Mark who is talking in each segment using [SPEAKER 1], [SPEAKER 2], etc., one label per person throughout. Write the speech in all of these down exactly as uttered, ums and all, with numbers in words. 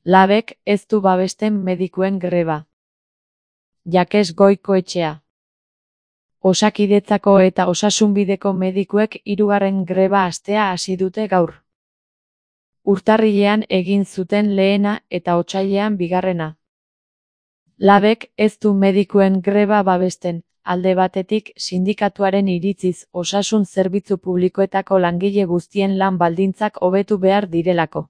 [SPEAKER 1] Labek ez du babesten medikuen greba. Jakes Goikoetxea. Osakidetzako eta Osasunbideko medikuek hirugarren greba astea hasi dute gaur. Urtarrilean egin zuten lehena eta otsailean bigarrena. Labek ez du medikuen greba babesten, alde batetik sindikatuaren iritziz osasun zerbitzu publikoetako langile guztien lan baldintzak hobetu behar direlako.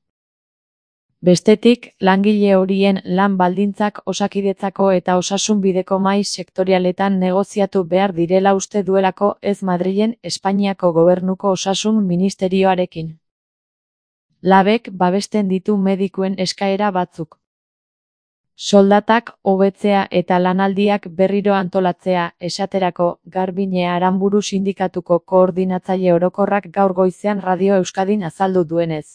[SPEAKER 1] Bestetik, langile horien lan baldintzak Osakidetzako eta Osasunbideko mahai sektorialetan negoziatu behar direla uste duelako ez Madrilen Espainiako Gobernuko Osasun Ministerioarekin. Labek babesten ditu medikuen eskaera batzuk. Soldatak hobetzea eta lanaldiak berriro antolatzea, esaterako, Garbiñe Aranburu sindikatuko koordinatzaile orokorrak gaur goizean Radio Euskadin azaldu duenez.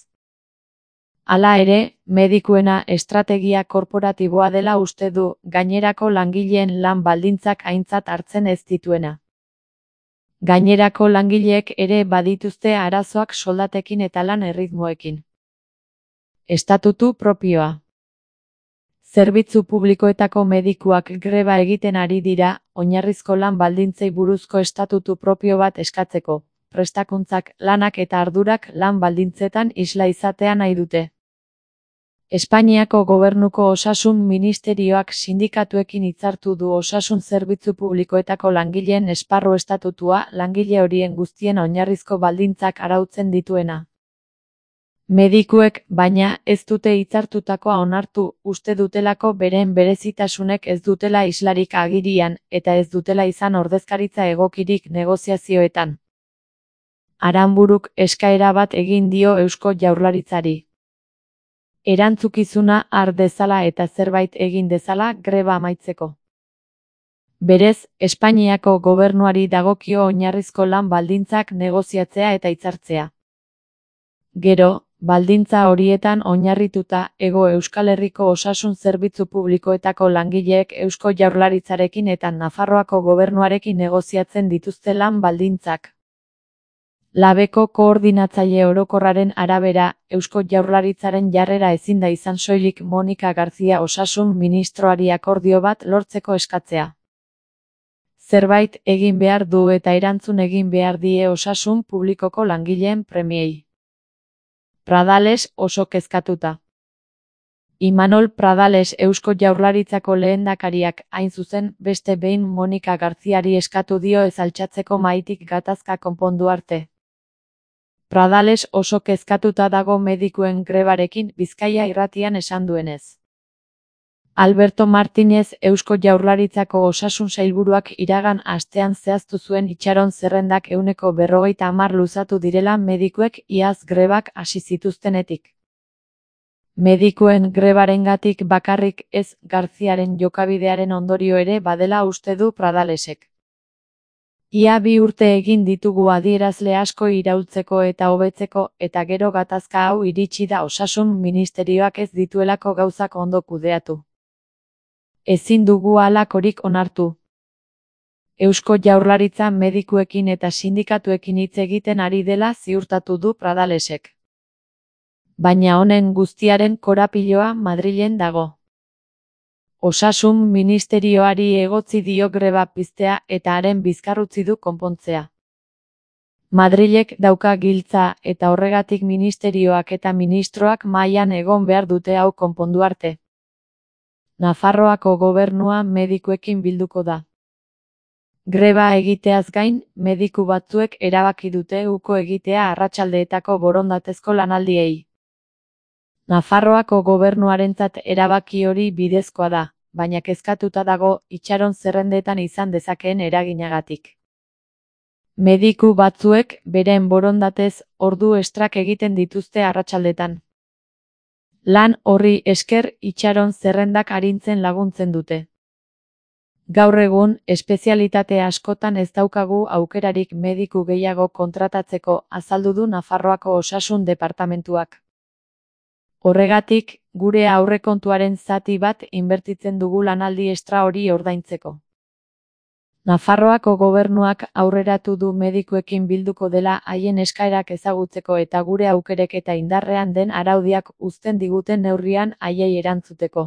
[SPEAKER 1] Hala ere, medikuena estrategia korporatiboa dela uste du, gainerako langileen lan baldintzak aintzat hartzen ez dituena. Gainerako langileek ere badituzte arazoak soldatekin eta lan erritmoekin. Estatutu propioa. Zerbitzu publikoetako medikuak greba egiten ari dira, oinarrizko lan baldintzei buruzko estatutu propio bat eskatzeko, prestakuntzak, lanak eta ardurak lan baldintzetan isla izatea nahi dute. Espainiako Gobernuko Osasun Ministerioak sindikatuekin hitzartu du osasun zerbitzu publikoetako langileen esparru estatutua langile horien guztien oinarrizko baldintzak arautzen dituena. Medikuek, baina, ez dute hitzartutakoa onartu, uste dutelako beren berezitasunek ez dutela islarik agirian, eta ez dutela izan ordezkaritza egokirik negoziazioetan. Aranburuk eskaera bat egin dio Eusko Jaurlaritzari. Erantzukizuna har dezala eta zerbait egin dezala greba amaitzeko. Berez, Espainiako Gobernuari dagokio oinarrizko lan baldintzak negoziatzea eta hitzartzea. Gero, baldintza horietan oinarrituta, Hego Euskal Herriko osasun zerbitzu publikoetako langileek Eusko Jaurlaritzarekin eta Nafarroako Gobernuarekin negoziatzen dituzte lan baldintzak. Labeko koordinatzaile orokorraren arabera, Eusko Jaurlaritzaren jarrera ezin da izan soilik Monika Garzia osasun ministroari akordio bat lortzeko eskatzea. Zerbait egin behar du eta erantzun egin behar die osasun publikoko langileen premiei. Pradales oso kezkatuta. Imanol Pradales Eusko Jaurlaritzako lehendakariak, hain zuzen, beste behin Monika Garziari eskatu dio ez altxatzeko mahaitik gatazka konpondu arte. Pradales oso kezkatuta dago medikuen grebarekin Bizkaia irratian esan duenez. Alberto Martínez Eusko Jaurlaritzako osasun sailburuak iragan astean zehaztu zuen itxaron zerrendak ehuneko berrogeita hamar luzatu direla medikuek iaz grebak hasi zituztenetik. Medikuen grebarengatik bakarrik ez Garziaren jokabidearen ondorio ere badela uste du Pradalesek. Ia bi urte egin ditugu adierazle asko iraultzeko eta hobetzeko, eta gero gatazka hau iritsi da osasun ministerioak ez dituelako gauzak ondo kudeatu. Ezin dugu halakorik onartu. Eusko Jaurlaritza medikuekin eta sindikatuekin hitz egiten ari dela ziurtatu du Pradalesek. Baina honen guztiaren korapiloa Madrilen dago. Osasun ministerioari egotzi dio greba piztea eta haren bizkarrutzi du konpontzea. Madrilek dauka giltza eta horregatik ministerioak eta ministroak mahaian egon behar dute hau konpondu arte. Nafarroako gobernua medikuekin bilduko da. Greba egiteaz gain, mediku batzuek erabaki dute uko egitea arratsaldeetako borondatezko lanaldiei. Nafarroako gobernuarentzat erabaki hori bidezkoa da, baina kezkatuta dago itxaron zerrendetan izan dezakeen eraginagatik. Mediku batzuek beren borondatez ordu estrak egiten dituzte arratsaldetan. Lan horri esker itxaron zerrendak arintzen laguntzen dute. Gaur egun, espezialitate askotan ez daukagu aukerarik mediku gehiago kontratatzeko, azaldu du Nafarroako Osasun Departamentuak. Horregatik, gure aurrekontuaren zati bat inbertitzen dugu lanaldi estra hori ordaintzeko. Nafarroako gobernuak aurreratu du medikuekin bilduko dela haien eskaerak ezagutzeko eta gure aukerek eta indarrean den araudiak uzten diguten neurrian haiei erantzuteko.